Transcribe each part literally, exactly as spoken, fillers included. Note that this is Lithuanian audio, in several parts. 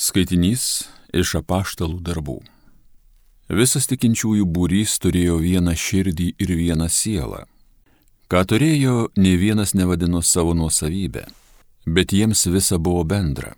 Skaitinys iš Apaštalų darbų. Visas tikinčiųjų būrys turėjo vieną širdį ir vieną sielą. Ką turėjo, nė vienas nevadino savo nuosavybę, bet jiems visa buvo bendra.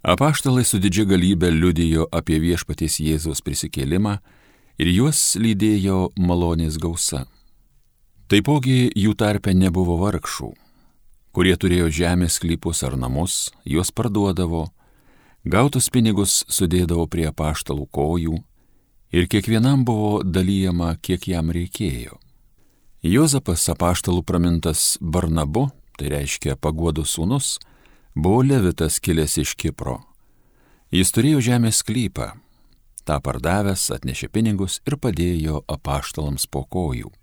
Apaštalai su didžia galybe liudijo apie viešpaties Jėzaus prisikėlimą ir juos lydėjo malonės gausa. Taipogi jų tarpe nebuvo vargšų, kurie turėjo žemės sklypus ar namus, juos parduodavo, gautus pinigus sudėdavo prie apaštalų kojų ir kiekvienam buvo dalyjama, kiek jam reikėjo. Juozapas, apaštalų pramintas Barnabu, tai reiškia paguodos sūnus, buvo levitas kilęs iš Kipro. Jis turėjo žemės sklypą, tą pardavęs atnešė pinigus ir padėjo apaštalams po kojų.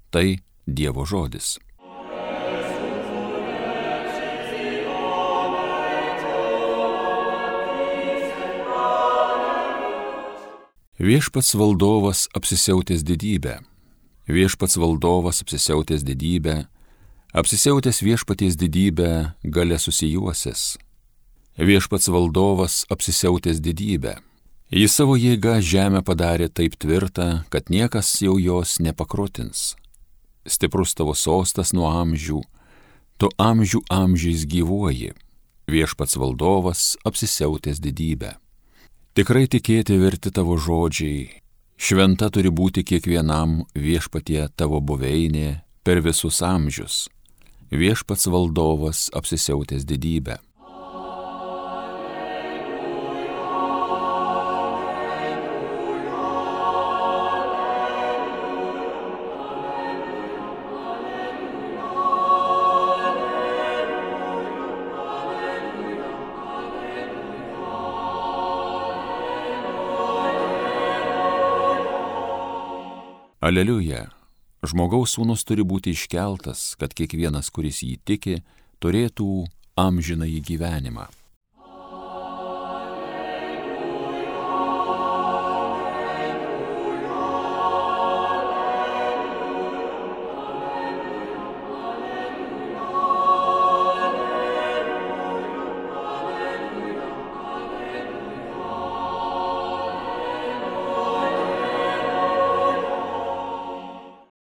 Tai Dievo žodis. Viešpats valdovas apsisiautęs didybę, viešpats valdovas apsisiautęs didybę, apsisiautęs viešpaties didybę gale susijuosęs. Viešpats valdovas apsisiautęs didybę. Jis savo jėga žemę padarė taip tvirtą, kad niekas jau jos nepakrutins. Stiprus tavo sostas nuo amžių, tu amžių amžiais gyvuoji. Viešpats valdovas apsisiautęs didybę. Tikrai tikėti verti tavo žodžiai, šventa turi būti kiekvienam viešpatie tavo buveinė per visus amžius. Viešpats valdovas apsisiautęs didybę. Aleliuja, žmogaus sūnus turi būti iškeltas, kad kiekvienas, kuris jį tiki, turėtų amžinąjį gyvenimą.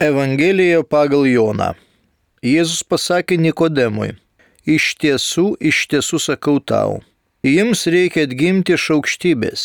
Evangelija pagal Joną. Jėzus pasakė Nikodemui: Iš tiesų, iš tiesų sakau tau, jums reikia atgimti iš aukštybės.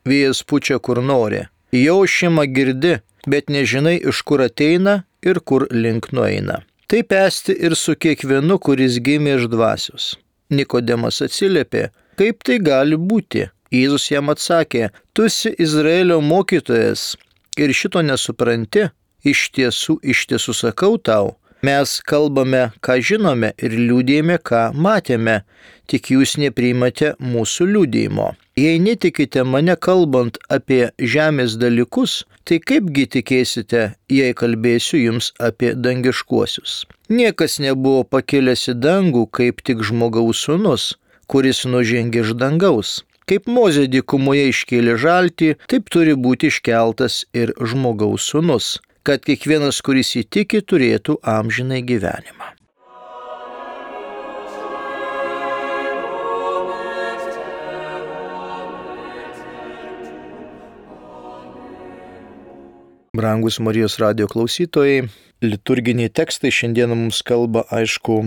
Vėjas pučia kur nori, jo ošimą girdi, bet nežinai, iš kur ateina ir kur link nueina. Taip esti ir su kiekvienu, kuris gimė iš dvasios. Nikodemas atsiliepė: Kaip tai gali būti? Jėzus jam atsakė: Tu esi Izraelio mokytojas ir šito nesupranti? Iš tiesų, iš tiesų sakau tau, mes kalbame, ką žinome ir liudijame, ką matėme, tik jūs nepriimate mūsų liudijimo. Jei netikite mane kalbant apie žemės dalykus, tai kaipgi tikėsite, jei kalbėsiu jums apie dangiškuosius? Niekas nebuvo pakilęs į dangų, kaip tik žmogaus sūnus, kuris nužengė iš dangaus. Kaip Mozė dykumoje iškėlė žaltį, taip turi būti iškeltas ir žmogaus sūnus, kad kiekvienas, kuris įtiki, turėtų amžinai gyvenimą. Brangus Marijos radijo klausytojai, liturginiai tekstai šiandien mums kalba, aišku,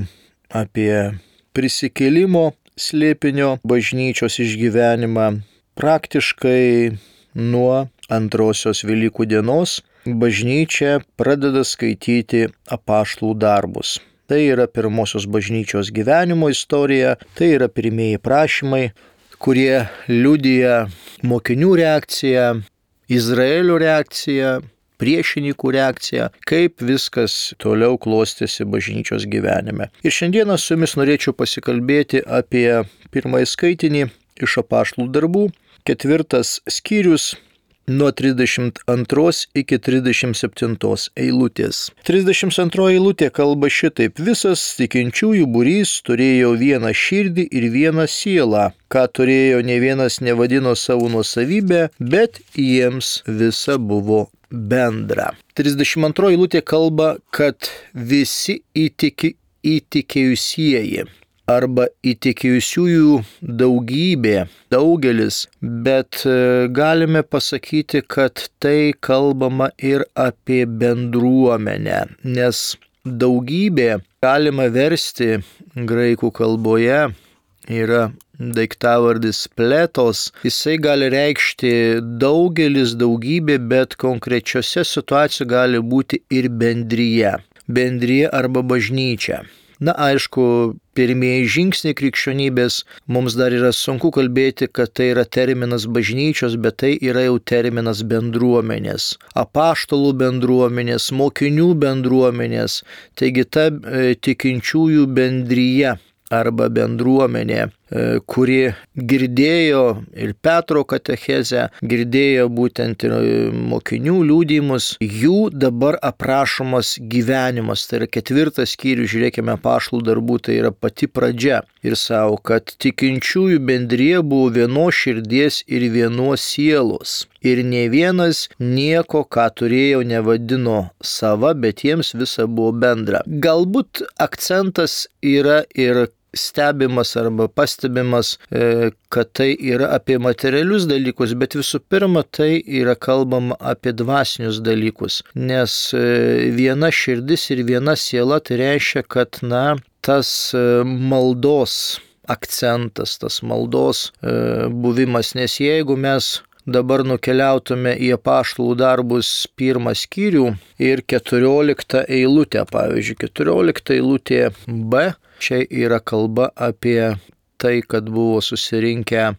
apie prisikėlimo slėpinio bažnyčios išgyvenimą. Praktiškai nuo antrosios Velykų dienos bažnyčia pradeda skaityti apaštalų darbus. Tai yra pirmosios bažnyčios gyvenimo istorija, tai yra pirmieji prašymai, kurie liudija mokinių reakciją, Izraelio reakciją, priešininkų reakciją, kaip viskas toliau klostėsi bažnyčios gyvenime. Ir šiandieną su jumis norėčiau pasikalbėti apie pirmąjį skaitinį iš apaštalų darbų, ketvirtas skyrius, nuo trisdešimt antros iki trisdešimt septintos eilutės. trisdešimt antroji eilutė kalba šitaip: Visas tikinčiųjų būrys turėjo vieną širdį ir vieną sielą, ką turėjo ne vienas nevadino savo nuosavybę, bet jiems visa buvo bendra. trisdešimt antroji eilutė kalba, kad visi įtiki, įtikėjusieji. arba įtikėjusiųjų daugybė, daugelis, bet galime pasakyti, kad tai kalbama ir apie bendruomenę, nes daugybė galima versti graikų kalboje yra daiktavardis pletos, jisai gali reikšti daugelis, daugybė, bet konkrečiose situacijose gali būti ir bendryje. Bendryje arba bažnyčia. Na, aišku, pirmieji žingsniai krikščionybės mums dar yra sunku kalbėti, kad tai yra terminas bažnyčios, bet tai yra jau terminas bendruomenės. Apaštalų bendruomenės, mokinių bendruomenės, taigi ta e, tikinčiųjų bendryje arba bendruomenė, kuri girdėjo ir Petro katechezę, girdėjo būtent ir mokinių liudijimus, jų dabar aprašomas gyvenimas. Tai yra ketvirtas skyrius, žiūrėkime, apaštalų darbų, tai yra pati pradžia. Ir savo, kad tikinčiųjų bendrija buvo vienos širdies ir vienos sielos. Ir ne vienas nieko, ką turėjo, nevadino sava, bet jiems visa buvo bendra. Galbūt akcentas yra ir stebimas arba pastebimas, kad tai yra apie materialius dalykus, bet visų pirma tai yra kalbama apie dvasinius dalykus. Nes viena širdis ir viena siela tai reiškia, kad na, tas maldos akcentas, tas maldos buvimas, nes jeigu mes dabar nukeliautume į apaštalų darbus pirmą skyrių ir keturioliktą eilutę, pavyzdžiui, keturiolikta eilutė B, čia yra kalba apie tai, kad buvo susirinkę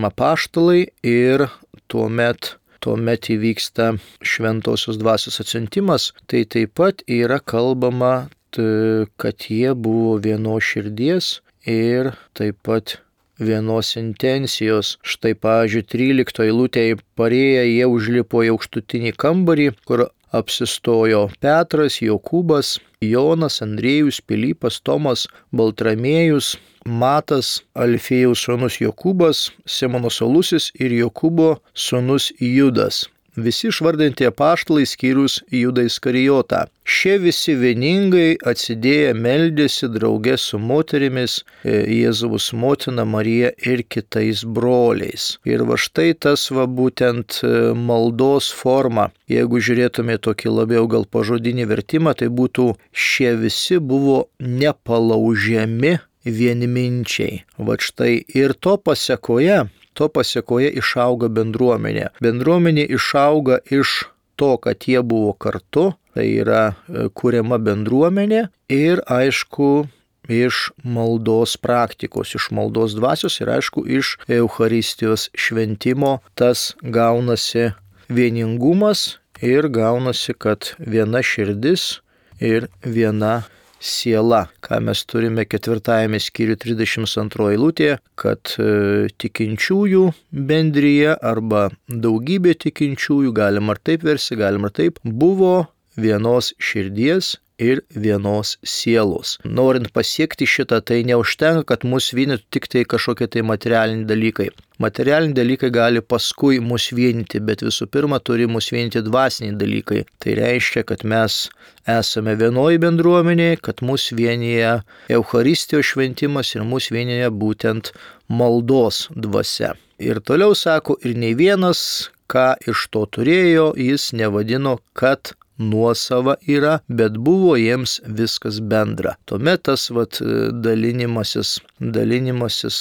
apaštalai ir tuomet, tuomet įvyksta šventosios dvasios atsiuntimas, tai taip pat yra kalbama, kad jie buvo vienos širdies ir taip pat vienos intencijos. Štai, pavyzdžiui, tryliktoje eilutėje parėję jie užlipo į aukštutinį kambarį, kur apsistojo Petras, Jokūbas, Jonas, Andriejus, Pilypas, Tomas, Baltramėjus, Matas, Alfėjaus sūnus Jokūbas, Simono Salusis ir Jokūbo sūnus Judas. Visi išvardinti apaštalai skyrus Judą Iskarijotą. Šie visi vieningai atsidėję meldėsi drauge su moterimis, Jėzaus motina Marija ir kitais broliais. Ir va štai tas va būtent maldos forma. Jeigu žiūrėtume tokį labiau gal pažodinį vertimą, tai būtų šie visi buvo nepalaužiami vienminčiai. Va štai ir to pasekoje, to pasiekoje išauga bendruomenė. Bendruomenė išauga iš to, kad jie buvo kartu, tai yra kuriama bendruomenė ir aišku iš maldos praktikos, iš maldos dvasios ir aišku iš Eucharistijos šventimo tas gaunasi vieningumas ir gaunasi, kad viena širdis ir viena siela, ką mes turime ketvirtajame skyriuje trisdešimt antroje eilutėje, kad e, tikinčiųjų bendryje arba daugybė tikinčiųjų, galima ar taip versi, galima ar taip, buvo vienos širdies ir vienos sielos. Norint pasiekti šitą, tai neužtenka, kad mus vienytų tik tai kažkokie tai materialiniai dalykai. Materialiniai dalykai gali paskui mus vienyti, bet visų pirma turi mus vienyti dvasiniai dalykai. Tai reiškia, kad mes esame vienoje bendruomenėje, kad mus vienyje Eucharistijos šventimas ir mus vienyje būtent maldos dvasia. Ir toliau sako, ir nei vienas, ką iš to turėjo, jis nevadino, kad nuosava yra, bet buvo jiems viskas bendra. Tuomet tas vat, dalinimasis, dalinimasis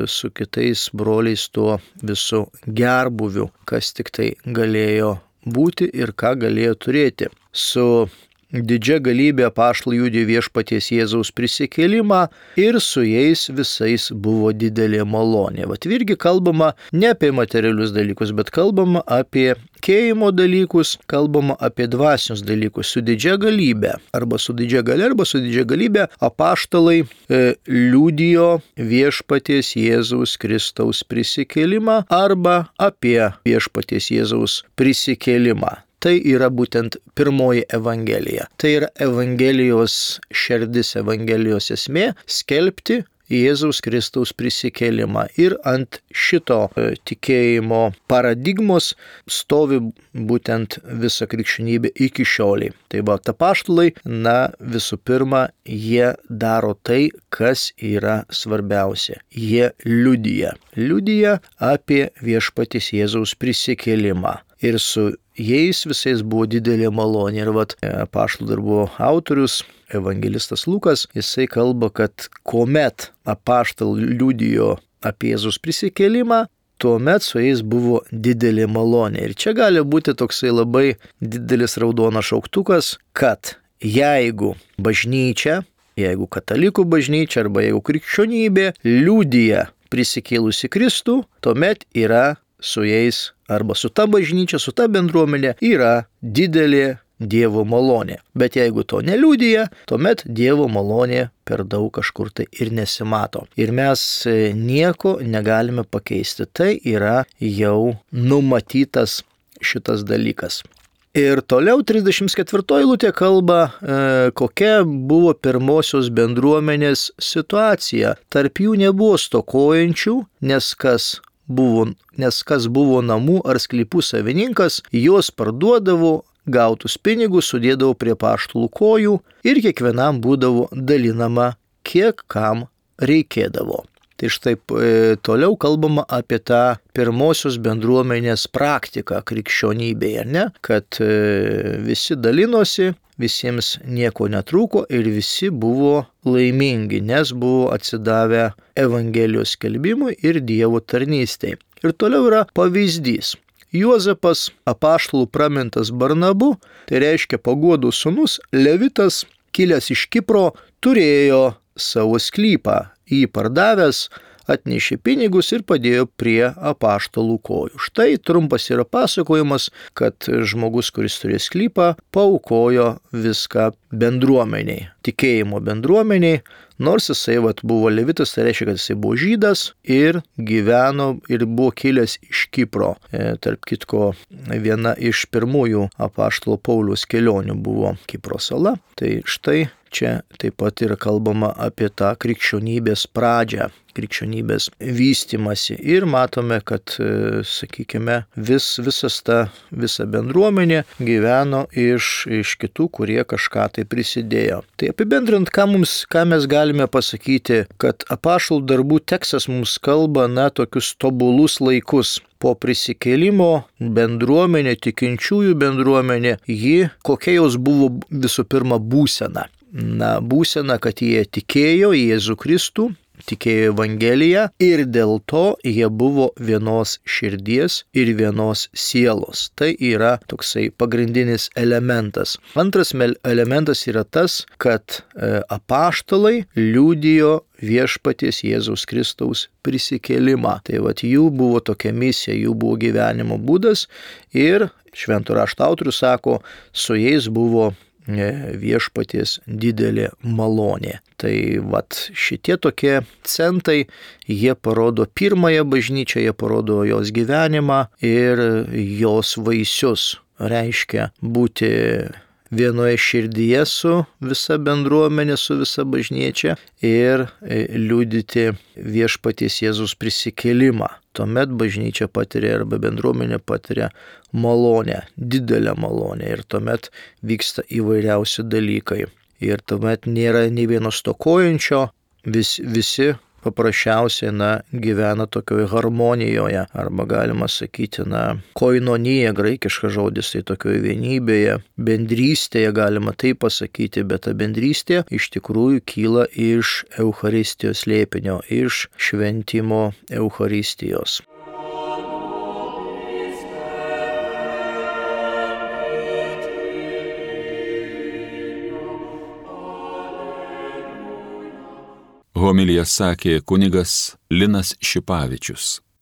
su kitais broliais tuo visų gerbuviu, kas tik tai galėjo būti ir ką galėjo turėti. Su didžia galybė apaštalai liudijo viešpaties Jėzaus prisikėlimą ir su jais visais buvo didelė malonė. Vat irgi kalbama ne apie materialius dalykus, bet kalbama apie tikėjimo dalykus, kalbama apie dvasinius dalykus. Su didžia galybė, arba su didžia galia, arba su didžia galybė apaštalai e, liudijo viešpaties Jėzaus Kristaus prisikėlimą arba apie viešpaties Jėzaus prisikėlimą. Tai yra būtent pirmoji evangelija. Tai yra evangelijos šerdis, evangelijos esmė - skelbti Jėzaus Kristaus prisikėlimą. Ir ant šito tikėjimo paradigmos stovi būtent visa krikščionybė iki šioliai. Tai va, apaštalai, na, visų pirma, jie daro tai, kas yra svarbiausia. Jie liudija. Liudija apie viešpaties Jėzaus prisikėlimą. Ir su jais visais buvo didelė malonė. Ir vat apaštalų darbų autorius, evangelistas Lukas, jisai kalba, kad kuomet apaštalai liudijo apie Jėzaus prisikėlimą, tuomet su jais buvo didelė malonė. Ir čia gali būti toksai labai didelis raudonas šauktukas, kad jeigu bažnyčia, jeigu katalikų bažnyčia arba jeigu krikščionybė liudija prisikėlusi Kristų, tuomet yra su jais arba su ta bažnyčia, su ta bendruomenė yra didelė Dievo malonė. Bet jeigu to neliudija, tuomet Dievo malonė per daug kažkur tai ir nesimato. Ir mes nieko negalime pakeisti. Tai yra jau numatytas šitas dalykas. Ir toliau trisdešimt ketvirtoji eilutė kalba, e, kokia buvo pirmosios bendruomenės situacija. Tarp jų nebuvo stokojančių, nes kas buvo, nes kas buvo namų ar sklypų savininkas, juos parduodavo, gautus pinigus sudėdavo prie apaštalų kojų ir kiekvienam būdavo dalinama, kiek kam reikėdavo. Tai štai e, toliau kalbama apie tą pirmosios bendruomenės praktiką krikščionybėje, ne? Kad e, visi dalinosi, visiems nieko netrūko ir visi buvo laimingi, nes buvo atsidavę Evangelijos skelbimui ir Dievo tarnystei. Ir toliau yra pavyzdys. Juozapas, apaštalų pramintas Barnabu, tai reiškia Paguodo sūnus, levitas, kilęs iš Kipro, turėjo savo sklypą. Jį pardavęs, atnešė pinigus ir padėjo prie apaštalų kojų. Štai trumpas yra pasakojimas, kad žmogus, kuris turėjo sklypą, paaukojo viską bendruomeniai, tikėjimo bendruomeniai, nors jisai vat, buvo levitas, tai reiškia, kad jisai buvo žydas ir gyveno ir buvo kilęs iš Kipro. E, tarp kitko, viena iš pirmųjų apaštalo Pauliaus kelionių buvo Kipro sala. Tai štai čia taip pat yra kalbama apie tą krikščionybės pradžią, krikščionybės vystimasi. Ir matome, kad, sakykime, vis, visas ta visa bendruomenė gyveno iš, iš kitų, kurie kažką tai prisidėjo. Tai apibendrint, ką, mums, ką mes galime pasakyti, kad apaštalų darbų tekstas mums kalba, na, tokius tobulus laikus. Po prisikėlimo bendruomenė, tikinčiųjų bendruomenė, ji, kokia jos buvo visų pirma būsena. Na, būsena, kad jie tikėjo į Jėzų Kristų, tikėjo Evangeliją ir dėl to jie buvo vienos širdies ir vienos sielos. Tai yra toksai pagrindinis elementas. Antras elementas yra tas, kad e, apaštalai liudijo viešpaties Jėzaus Kristaus prisikėlimą. Tai vat jų buvo tokia misija, jų buvo gyvenimo būdas ir švento rašto autorius sako, su jais buvo viešpaties didelė malonė. Tai vat šitie tokie centai, jie parodo pirmąją bažnyčią, jie parodo jos gyvenimą ir jos vaisius. Reiškia būti vienoje širdyje su visa bendruomenė, su visa bažnyčia ir liudyti viešpaties Jėzaus prisikėlimą. Tuomet bažnyčia patiria arba bendruomenė patiria malonę, didelę malonę ir tuomet vyksta įvairiausi dalykai. Ir tuomet nėra nei vieno stokojančio, vis, visi paprasčiausiai, na, gyvena tokioje harmonijoje, arba galima sakyti, na, koinonija, graikiškas žodis, tai tokioje vienybėje, bendrystėje galima taip pasakyti, bet ta bendrystė iš tikrųjų kyla iš Eucharistijos slėpinio, iš šventimo Eucharistijos. Homiliją sakė kunigas Linas Šipavičius.